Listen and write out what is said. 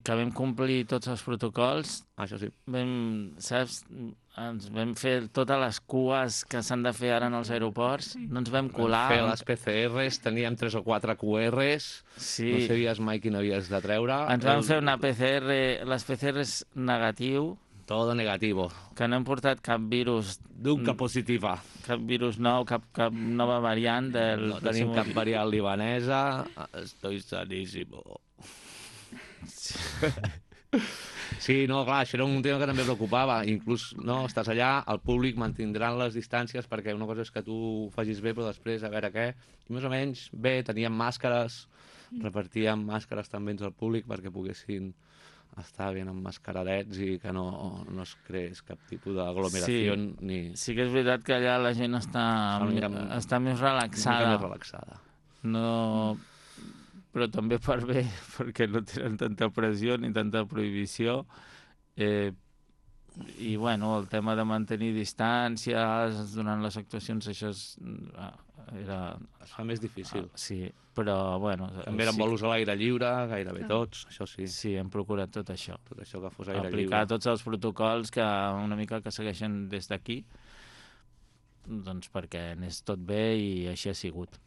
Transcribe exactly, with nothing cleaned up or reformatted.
que vam complir tots els protocols. Això sí. Vam, saps, ens vam fer totes les cues que s'han de fer ara en els aeroports, no ens vam colar. Vam fer les P C Rs, teníem tres o quatre Q Rs, sí. No sabies mai quin havies de treure. Ens vam fer una P C R, les P C Rs negatiu. Todo negativo. Que no hem portat cap virus... Nunca positiva. Cap virus nou, cap, cap nova variant del... No tenim cap variant libanesa. Estoy sanísimo. Sí. Sí, no, clar, això era un tema que també preocupava. Inclús, no, estàs allà, el públic mantindran les distàncies perquè una cosa és que tu ho facis bé, però després a veure què. I més o menys bé, teníem màscares, repartíem màscares també entre el públic perquè poguessin estar ben emmascaradets i que no, no es creés cap tipus d'aglomeració. Sí, ni... sí que és veritat que allà la gent està, mica, està més relaxada. Més relaxada. No... Però també per bé, perquè no tenen tanta pressió ni tanta prohibició. Eh, I, bueno, el tema de mantenir distàncies durant les actuacions, això és, era... Es fa més difícil. Ah, sí, però, bueno... També eren sí, bolos a l'aire lliure, gairebé tots, això sí. Sí, hem procurat tot això. Tot això que fos aire Aplicar lliure. Aplicar tots els protocols que una mica que segueixen des d'aquí, doncs perquè anés tot bé i així ha sigut.